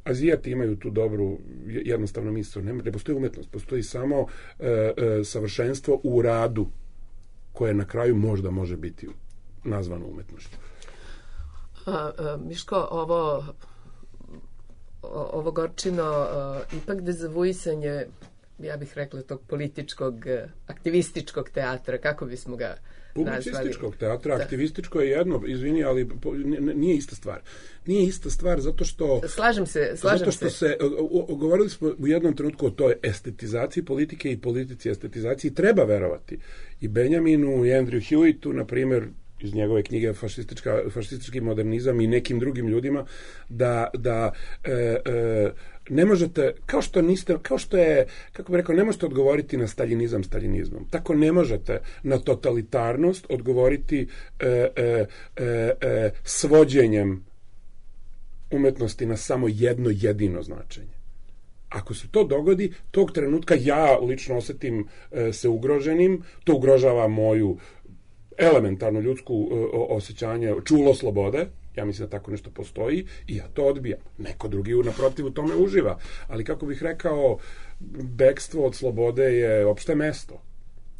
Azijati imaju tu dobru, jednostavnu misao. Ne, ne postoji umetnost, postoji samo e, e, savršenstvo u radu, koje na kraju možda može biti nazvano umetnošću. A, a, Miško, ovo ovo Gorčino a, ipak dezavuisanje, ja bih rekla, tog političkog, aktivističkog teatra, kako bismo ga nazvali? Publicističkog teatra, da. Aktivističko je jedno, izvini, ali nije ista stvar. Nije ista stvar zato što... Slažem se, slažem zato što se. se o, o, govorili smo u jednom trenutku o toj estetizaciji politike i politici estetizaciji. Treba verovati i Benjaminu i Andrew Hewittu, na primjer, iz njegove knjige fašistička, fašistički modernizam i nekim drugim ljudima, da, da e, e, ne možete, kao što niste, kao što je, kako bih rekao, ne možete odgovoriti na staljinizam staljinizmom. Tako ne možete na totalitarnost odgovoriti e, e, e, e, svođenjem umetnosti na samo jedno jedino značenje. Ako se to dogodi, tog trenutka ja lično osetim e, se ugroženim, to ugrožava moju elementarno ljudsku e, osjećanje, čulo slobode, ja mislim da tako nešto postoji i ja to odbijam. Neko drugi naprotiv u tome uživa. Ali kako bih rekao, bekstvo od slobode je opšte mesto.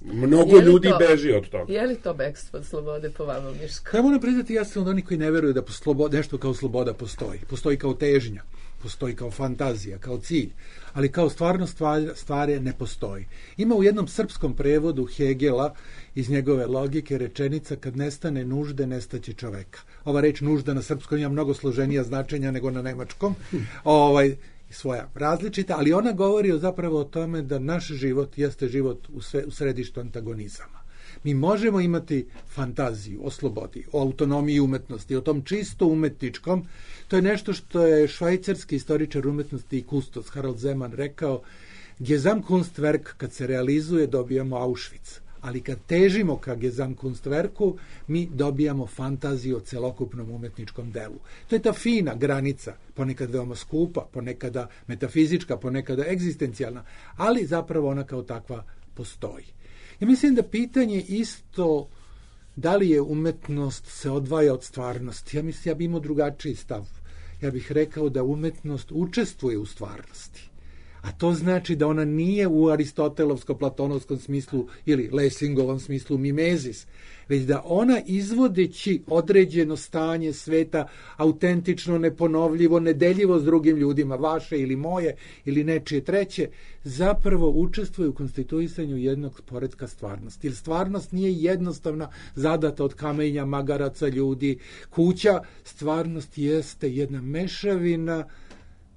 Mnogo ljudi to, beži od toga. Je li to bekstvo od slobode po vama, Miško? Ja moram priznati, ja sam od onih koji ne veruju da sloboda, nešto kao sloboda postoji. Postoji kao težnja, postoji kao fantazija, kao cilj, ali kao stvarno stvar, stvari ne postoji. Ima u jednom srpskom prevodu Hegela iz njegove logike rečenica: kad nestane nužde, nestaće čoveka. Ova reč nužda na srpskom ima mnogo složenija značenja nego na nemačkom. Ovaj svoja različita, ali ona govori o zapravo o tome da naš život jeste život u, sve, u središtu antagonizama. Mi možemo imati fantaziju o slobodi, o autonomiji umetnosti, o tom čisto umetničkom. To je nešto što je švajcarski istoričar umetnosti i kustos Harald Zeman rekao: Gesamtkunstwerk kad se realizuje dobijamo Auschwitz, ali kad težimo ka Gesamtkunstwerku mi dobijamo fantaziju o celokupnom umetničkom delu. To je ta fina granica, ponekad veoma skupa, ponekada metafizička, ponekada egzistencijalna, ali zapravo ona kao takva postoji. Ja mislim da pitanje isto da li je umetnost se odvaja od stvarnosti. Ja mislim, ja bih imao drugačiji stav. Ja bih rekao da umetnost učestvuje u stvarnosti. A to znači da ona nije u aristotelovsko-platonovskom smislu ili Lessingovom smislu mimezis, već da ona izvodeći određeno stanje sveta autentično, neponovljivo, nedeljivo s drugim ljudima, vaše ili moje ili nečije treće, zapravo učestvuje u konstituisanju jednog poretka stvarnosti. Jer stvarnost nije jednostavna, zadata od kamenja, magaraca, ljudi, kuća. Stvarnost jeste jedna mešavina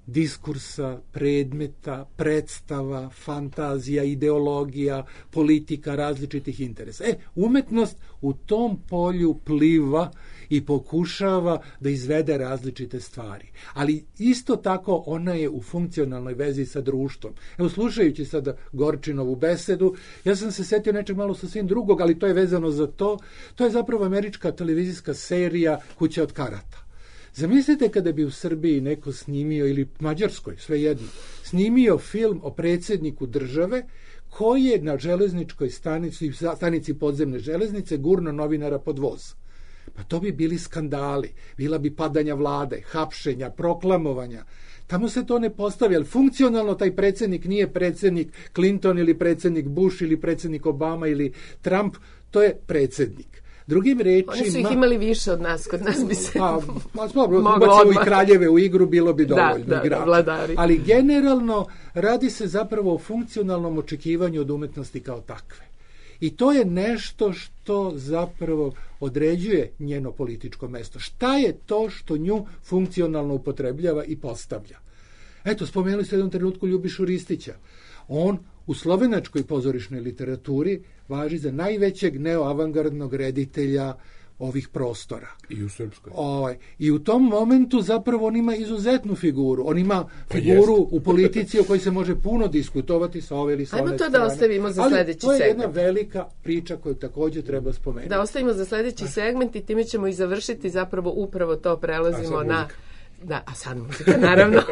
diskursa, predmeta, predstava, fantazija, ideologija, politika, različitih interesa. E, umetnost u tom polju pliva i pokušava da izvede različite stvari. Ali isto tako ona je u funkcionalnoj vezi sa društvom. Evo, slušajući sada Gorčinovu besedu, ja sam se setio nečeg malo sasvim drugog, ali to je vezano za to. To je zapravo američka televizijska serija Kuća od karata. Zamislite kada bi u Srbiji neko snimio, ili Mađarskoj, svejedno, snimio film o predsjedniku države koji je na železničkoj stanici, stanici podzemne železnice gurno novinara pod voz. Pa to bi bili skandali, bila bi padanja vlade, hapšenja, proklamovanja. Tamo se to ne postavlja, ali funkcionalno taj predsjednik nije predsjednik Clinton ili predsjednik Bush ili predsjednik Obama ili Trump, to je predsjednik. Drugim rečima... Oni su ih imali više od nas, kod nas bi se pa, pa, moglo i kraljeve u igru, bilo bi dovoljno. Da, da, vladari. Ali generalno radi se zapravo o funkcionalnom očekivanju od umetnosti kao takve. I to je nešto što zapravo određuje njeno političko mesto. Šta je to što nju funkcionalno upotrebljava i postavlja? Eto, spomenuli ste u jednom trenutku Ljubišu Ristića. On u slovenačkoj pozorišnoj literaturi važi za najvećeg neoavangardnog reditelja ovih prostora. I u srpskoj. Ovaj, I u tom momentu zapravo on ima izuzetnu figuru. On ima figuru pa u politici o kojoj se može puno diskutovati sa ove ili sa one strane. Ajmo to da ostavimo za sledeći segment. Ali to je jedna velika priča koju također treba spomenuti. Da ostavimo za sledeći segment i time ćemo i završiti zapravo upravo to prelazimo na... Da, a sad muzika, naravno.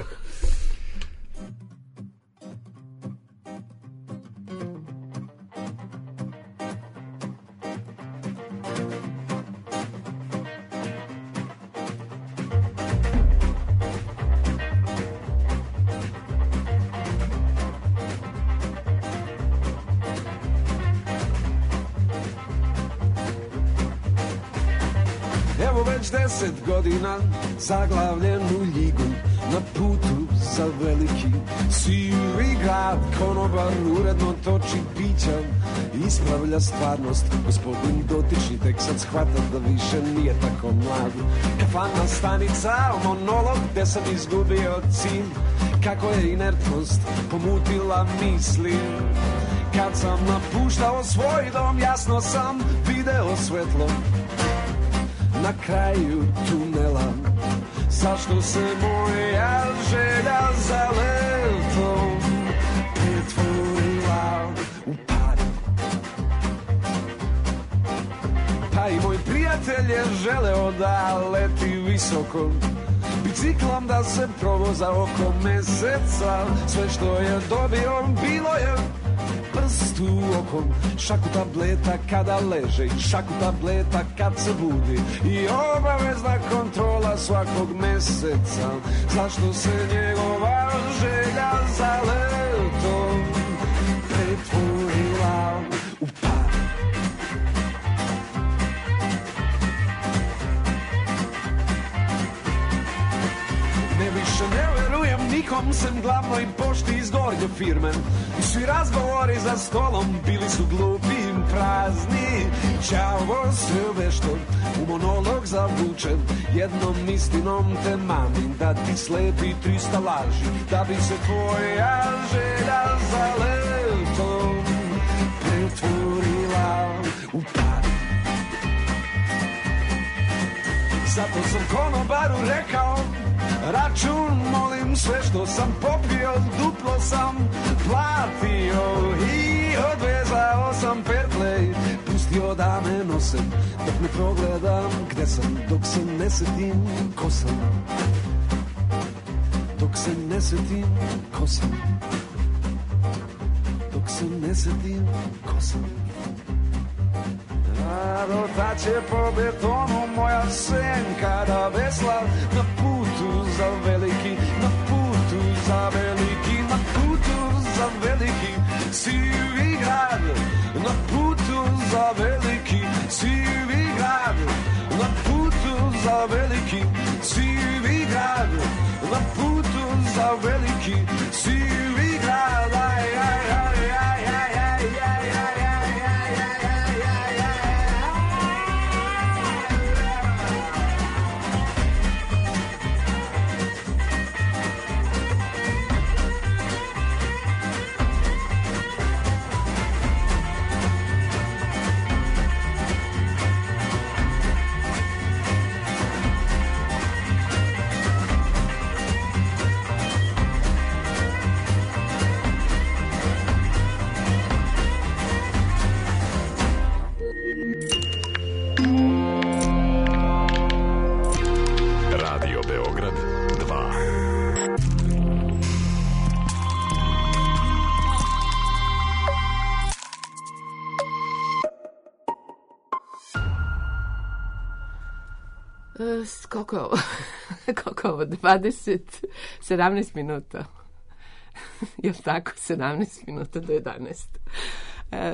već deset godina zaglavljen u ljigu, na putu za veliki sivi grad. Konobar uredno toči pića, ispravlja stvarnost. Gospodin dotični tek sad shvata da više nije tako mlad. Kafana stanica, monolog gde sam izgubio cilj, kako je inertnost pomutila misli. Kad sam napuštao svoj dom, jasno sam video svetlo na kraju tunela. Zašto se moja želja za letom pretvorila u pad? Pa i moj prijatelj je želeo da leti visoko, biciklom da se provoza oko meseca. Sve što je dobio bilo je prst u okom, šaku tableta kada leže i šaku tableta kad se budi, i obavezna kontrola svakog meseca. Zašto se njegova želja za letom pretvorila u pad? Ne više ne verujem nikom sem glavnoj pošti iz gornje firme. Svi razgovori za stolom bili su glupi i prazni. Đavo se vešto u monolog zavučen, jednom istinom te mamim da ti slepi trista laži, da bi se tvoja želja za letom pretvorila u pad. Zato sam konobaru rekao, račun molim, sve što sam popio duplo sam platio, i odvezao sam pertlej, pustio da me nose dok ne progledam gde sam, dok se ne setim ko sam, dok se ne setim ko sam, dok se ne setim ko sam. Rotaće po betonu moja senka da vesla na putu za veliki, na putu za veliki, na putu za veliki sivi grad, na putu za veliki sivi grad, na putu za veliki sivi grad, na putu za veliki sivi grad. Aj, aj, aj, aj, aj, aj, aj, aj. Koliko je ovo? Koliko je ovo? dvadeset, sedamnaest minuta. Jel tako? sedamnaest minuta do jedanaest.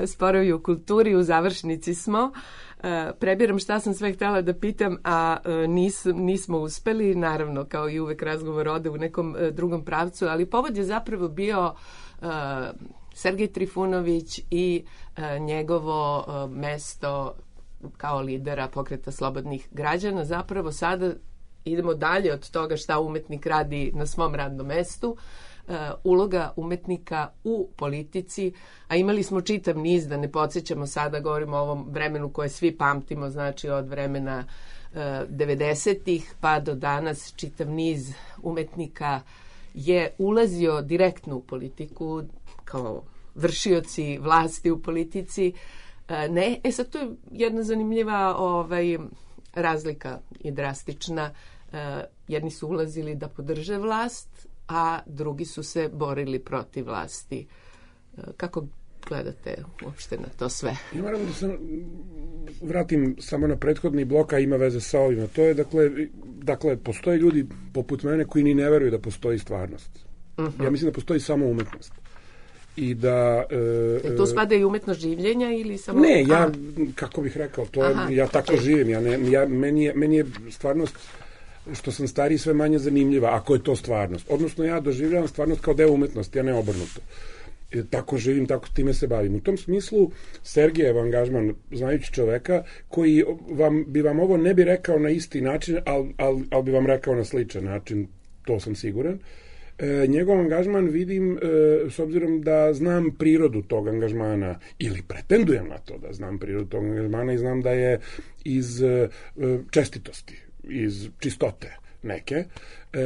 Sporovi u kulturi, u završnici smo. Prebiram šta sam sve htjela da pitam, a nis, nismo uspeli. Naravno, kao i uvek, razgovor ode u nekom drugom pravcu, ali povod je zapravo bio uh, Sergej Trifunović i uh, njegovo uh, mesto kao lidera Pokreta slobodnih građana. Zapravo sada idemo dalje od toga šta umetnik radi na svom radnom mestu. Uh, uloga umetnika u politici, a imali smo čitav niz, da ne podsjećamo sada, govorimo o ovom vremenu koje svi pamtimo, znači od vremena uh, devedesetih pa do danas, čitav niz umetnika je ulazio direktno u politiku kao vršioci vlasti u politici. Uh, ne, e sad to je jedna zanimljiva ovaj, razlika i drastična. Uh, jedni su ulazili da podrže vlast, a drugi su se borili protiv vlasti. Kako gledate uopšte na to sve? Ja moram da se vratim samo na prethodni blok, a ima veze sa ovima. To je, dakle, dakle, postoje ljudi poput mene koji ni ne veruju da postoji stvarnost. Uh-huh. Ja mislim da postoji samo umetnost. i da... E, to spada i umetnost življenja ili samo... Ne, ja, kako bih rekao, to je, ja tako živim, ja ne, ja, meni, je, meni je stvarnost, što sam stariji, sve manje zanimljiva, ako je to stvarnost. Odnosno, ja doživljavam stvarnost kao deo umetnosti, a ne obrnuto. E, tako živim, tako time se bavim. U tom smislu, Sergejev angažman, znajući čoveka, koji vam, bi vam ovo ne bi rekao na isti način, ali al, al bi vam rekao na sličan način, to sam siguran. E, njegov angažman vidim, e, s obzirom da znam prirodu tog angažmana, ili pretendujem na to da znam prirodu tog angažmana i znam da je iz e, čestitosti, iz čistote neke, e,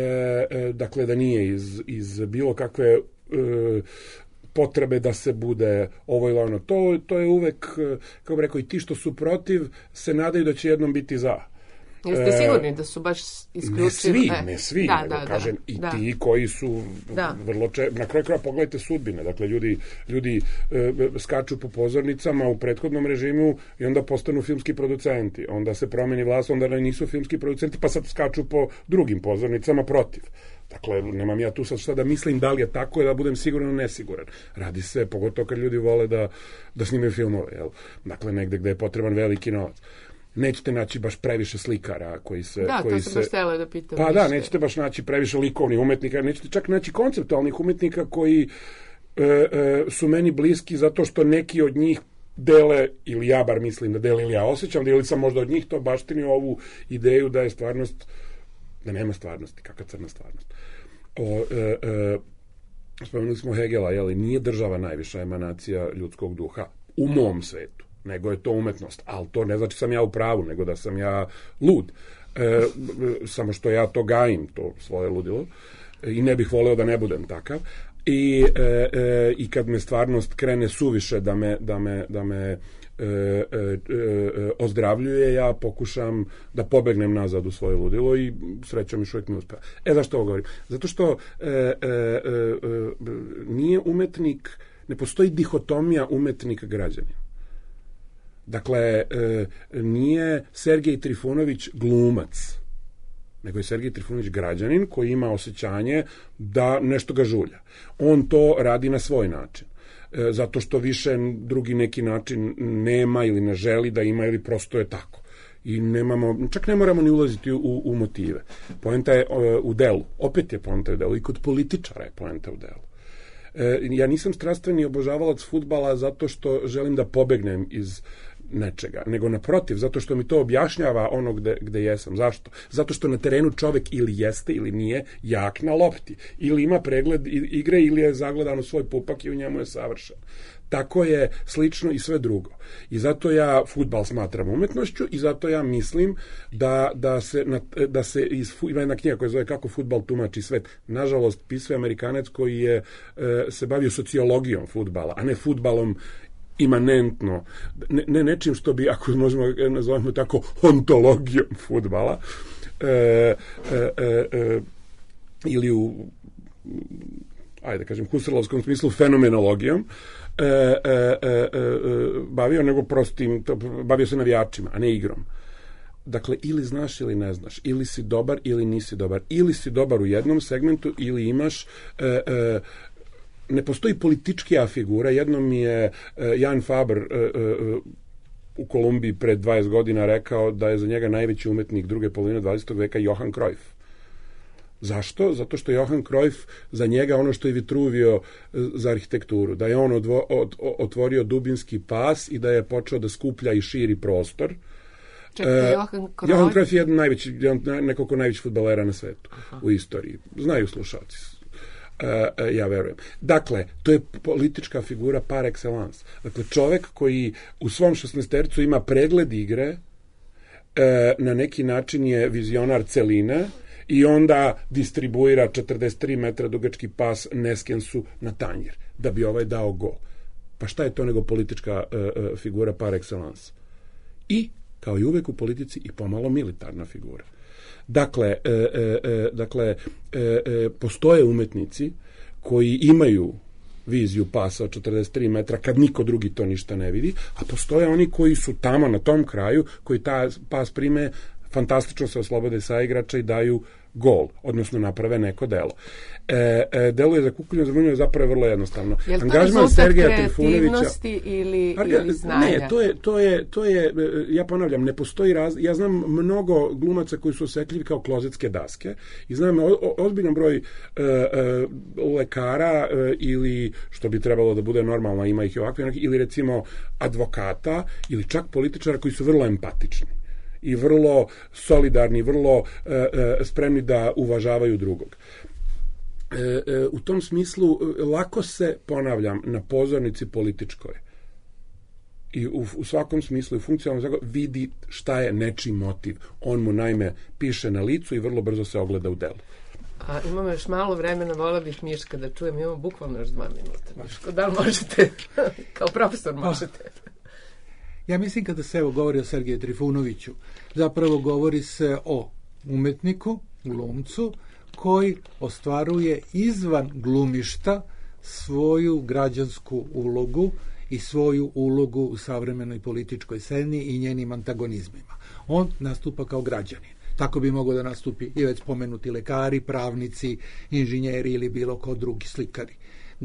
e, dakle da nije iz, iz bilo kakve e, potrebe da se bude ovo ili ono. To, to je uvek, kako bi rekao, i ti što su protiv se nadaju da će jednom biti za. Jeste sigurni da su baš isključivo... Ne svi, ne svi, da, nego da, kažem, da, i da. ti koji su da. vrlo če... Na kraju kraja pogledajte sudbine, dakle, ljudi, ljudi e, skaču po pozornicama u prethodnom režimu i onda postanu filmski producenti, onda se promeni vlast, onda nisu filmski producenti, pa sad skaču po drugim pozornicama protiv. Dakle, nemam ja tu sad šta da mislim da li je tako i da budem siguran ili nesiguran. Radi se, pogotovo kad ljudi vole da, da snimaju filmove, jel? Dakle, negde gde je potreban veliki novac. Nećete naći baš previše slikara koji se... Da, koji to sam se... baš htjela da pitam. Pa više. da, nećete baš naći previše likovnih umetnika, nećete čak naći konceptualnih umetnika koji e, e, su meni bliski zato što neki od njih dele, ili ja bar mislim da dele, ili ja osjećam da ili sam možda od njih to baštinio ovu ideju da je stvarnost, da nema stvarnosti, kakva crna stvarnost. O, e, e, spomenuli smo Hegela, jeli, nije država najviša emanacija ljudskog duha u mom svetu, nego je to umetnost, ali to ne znači sam ja u pravu, nego da sam ja lud. E, samo što ja to gajim, to svoje ludilo, i ne bih voleo da ne budem takav. I, e, e, i kad me stvarnost krene suviše da me, da me, da me e, e, e, ozdravljuje, ja pokušam da pobegnem nazad u svoje ludilo i srećom još uvijek mi uspeva. E, zašto ovo govorim? Zato što e, e, e, nije umetnik, ne postoji dihotomija umetnik-građanin. Dakle, e, nije Sergej Trifunović glumac, nego je Sergej Trifunović građanin koji ima osjećanje da nešto ga žulja. On to radi na svoj način, e, zato što više drugi neki način nema ili ne želi da ima ili prosto je tako. I nemamo, čak ne moramo ni ulaziti u, u motive. Poenta je e, u delu. Opet je poenta u delu. I kod političara je poenta u delu. E, ja nisam strastveni obožavalac fudbala zato što želim da pobegnem iz nečega, nego naprotiv, zato što mi to objašnjava ono gde, gde jesam. Zašto? Zato što na terenu čovek ili jeste ili nije jak na lopti. Ili ima pregled igre ili je zagledan u svoj pupak i u njemu je savršen. Tako je slično i sve drugo. I zato ja fudbal smatram umetnošću i zato ja mislim da, da se, da se iz, ima jedna knjiga koja zove Kako fudbal tumači svet. Nažalost, pisao Amerikanac koji je se bavio sociologijom fudbala, a ne fudbalom imanentno, ne, ne nečim što bi, ako možemo nazovemo tako, ontologijom fudbala, e, e, e, e, ili u, ajde da kažem, husarlovskom smislu fenomenologijom, e, e, e, e, bavio, nego prostim, bavio se navijačima, a ne igrom. Dakle, ili znaš ili ne znaš, ili si dobar ili nisi dobar, ili si dobar u jednom segmentu, ili imaš e, e, ne postoji političkija figura. Jednom mi je uh, Jan Faber uh, uh, u Kolumbiji pred dvadeset godina rekao da je za njega najveći umetnik druge polovine dvadesetog veka Johan Cruyff. Zašto? Zato što Johan Cruyff za njega ono što je Vitruvio za arhitekturu, da je on odvo, od, otvorio dubinski pas i da je počeo da skuplja i širi prostor. Čekaj, Johan Cruyff? Johan Cruyff je jedan najveći, jedan, nekoliko najvećih fudbalera na svetu. Aha. U istoriji. Znaju slušalci. Uh, uh, ja verujem. Dakle, to je politička figura par excellence. Dakle, čovek koji u svom šesnaestercu ima pregled igre, uh, na neki način je vizionar celine i onda distribuira četrdeset tri metra dugački pas Neskensu na tanjir, da bi ovaj dao gol. Pa šta je to nego politička uh, uh, figura par excellence? I, kao i uvek u politici, i pomalo militarna figura. Dakle, e, e, dakle e, e, postoje umetnici koji imaju viziju pasa od četrdeset tri metra kad niko drugi to ništa ne vidi, a postoje oni koji su tamo na tom kraju, koji ta pas prime, fantastično se oslobode sa igrača i daju gol, odnosno naprave neko delo. E, e, delo je za kukolju za zapravo vrlo jednostavno. Je li to Angažman rezultat Sergeja kreativnosti ili, Arga, ili znanja? Ne, to je, to je, to je, ja ponavljam, ne postoji raz... Ja znam mnogo glumaca koji su osetljivi kao klozetske daske i znam o, o, ozbiljan broj e, e, lekara e, ili, što bi trebalo da bude normalno, ima ih i ovakve, ili recimo advokata ili čak političara koji su vrlo empatični i vrlo solidarni, vrlo e, e, spremni da uvažavaju drugog. E, e, u tom smislu lako se, ponavljam, na pozornici političkoj i u, u svakom smislu i funkcionalno vidi šta je nečiji motiv. On mu naime piše na licu i vrlo brzo se ogleda u delu. A imamo još malo vremena, vola bih Miška da čujem, imamo bukvalno još dva minuta. Miško, da li možete, kao profesor možete? Ja mislim kada se evo govori o Sergeju Trifunoviću, zapravo govori se o umetniku, glumcu, koji ostvaruje izvan glumišta svoju građansku ulogu i svoju ulogu u savremenoj političkoj sceni i njenim antagonizmima. On nastupa kao građanin. Tako bi mogao da nastupi i već spomenuti lekari, pravnici, inženjeri ili bilo ko drugi slikari,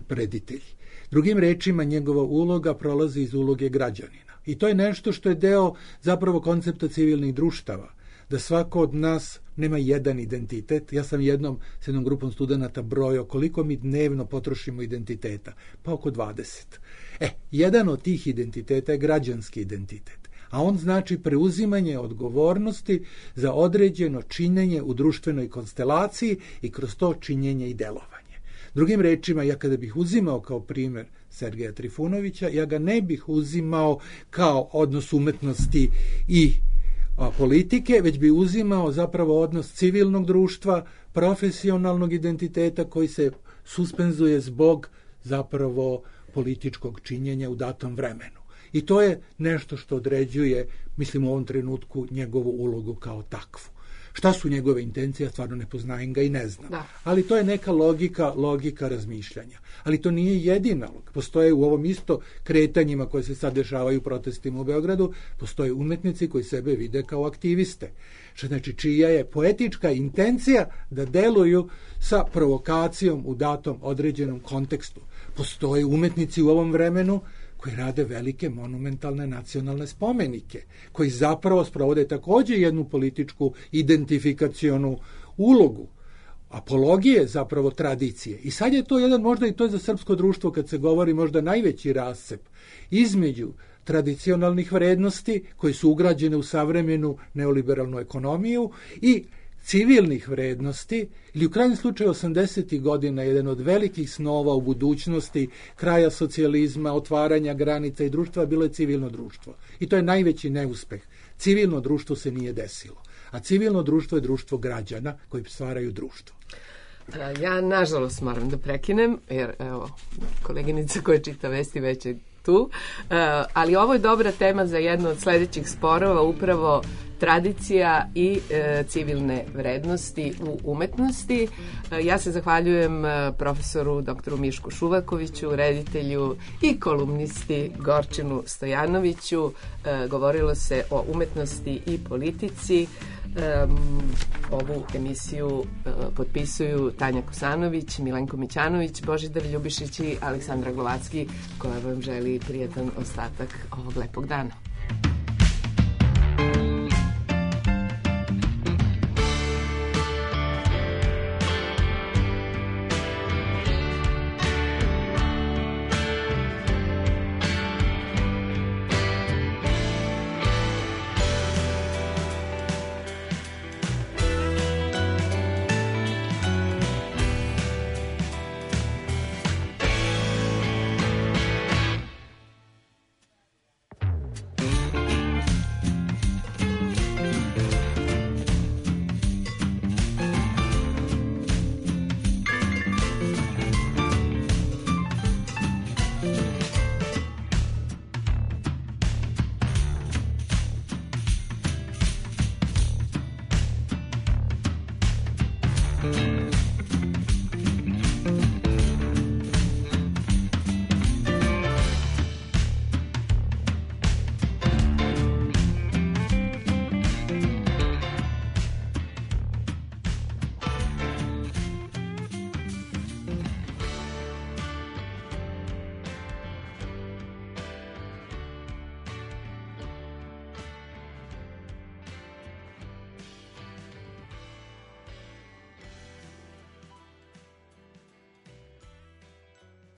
preditelji. Drugim rečima, njegova uloga prolazi iz uloge građanina. I to je nešto što je deo zapravo koncepta civilnih društava, da svako od nas nema jedan identitet. Ja sam jednom s jednom grupom studenta brojao koliko mi dnevno potrošimo identiteta, pa oko dvadeset. E, jedan od tih identiteta je građanski identitet, a on znači preuzimanje odgovornosti za određeno činjenje u društvenoj konstelaciji i kroz to činjenje i delovanje. Drugim rečima, ja kada bih uzimao kao primjer Sergeja Trifunovića, ja ga ne bih uzimao kao odnos umetnosti i a, politike, već bi uzimao zapravo odnos civilnog društva, profesionalnog identiteta koji se suspenzuje zbog zapravo političkog činjenja u datom vremenu. I to je nešto što određuje, mislim u ovom trenutku, njegovu ulogu kao takvu. Šta su njegove intencije, ja stvarno ne poznajem ga i ne znam. Da. Ali to je neka logika, logika razmišljanja. Ali to nije jedina. Postoje u ovom isto kretanjima koje se sad dešavaju u protestima u Beogradu, postoje umetnici koji sebe vide kao aktiviste. Što znači čija je poetička intencija da deluju sa provokacijom u datom određenom kontekstu. Postoje umetnici u ovom vremenu koji rade velike monumentalne nacionalne spomenike, koji zapravo sprovode također jednu političku identifikacionu ulogu, apologije zapravo tradicije. I sad je to jedan, možda i to je za srpsko društvo, kad se govori možda najveći rascep između tradicionalnih vrednosti koji su ugrađene u savremenu neoliberalnu ekonomiju i civilnih vrednosti, ili u krajnjem slučaju osamdesetih godina jedan od velikih snova u budućnosti kraja socijalizma, otvaranja granica i društva bilo je civilno društvo. I to je najveći neuspeh. Civilno društvo se nije desilo. A civilno društvo je društvo građana koji stvaraju društvo. Ja, nažalost, moram da prekinem, jer evo, koleginica koja čita vesti već je tu, ali ovo je dobra tema za jedno od sljedećih sporova, upravo tradicija i e, civilne vrednosti u umetnosti. E, ja se zahvaljujem e, profesoru doktoru Mišku Šuvakoviću, reditelju i kolumnisti Gorčinu Stojanoviću. E, govorilo se o umetnosti i politici. E, ovu emisiju e, potpisuju Tanja Kosanović, Milenko Mićanović, Božidar Ljubišić i Aleksandra Glovacki, koja vam želi prijetan ostatak ovog lepog dana.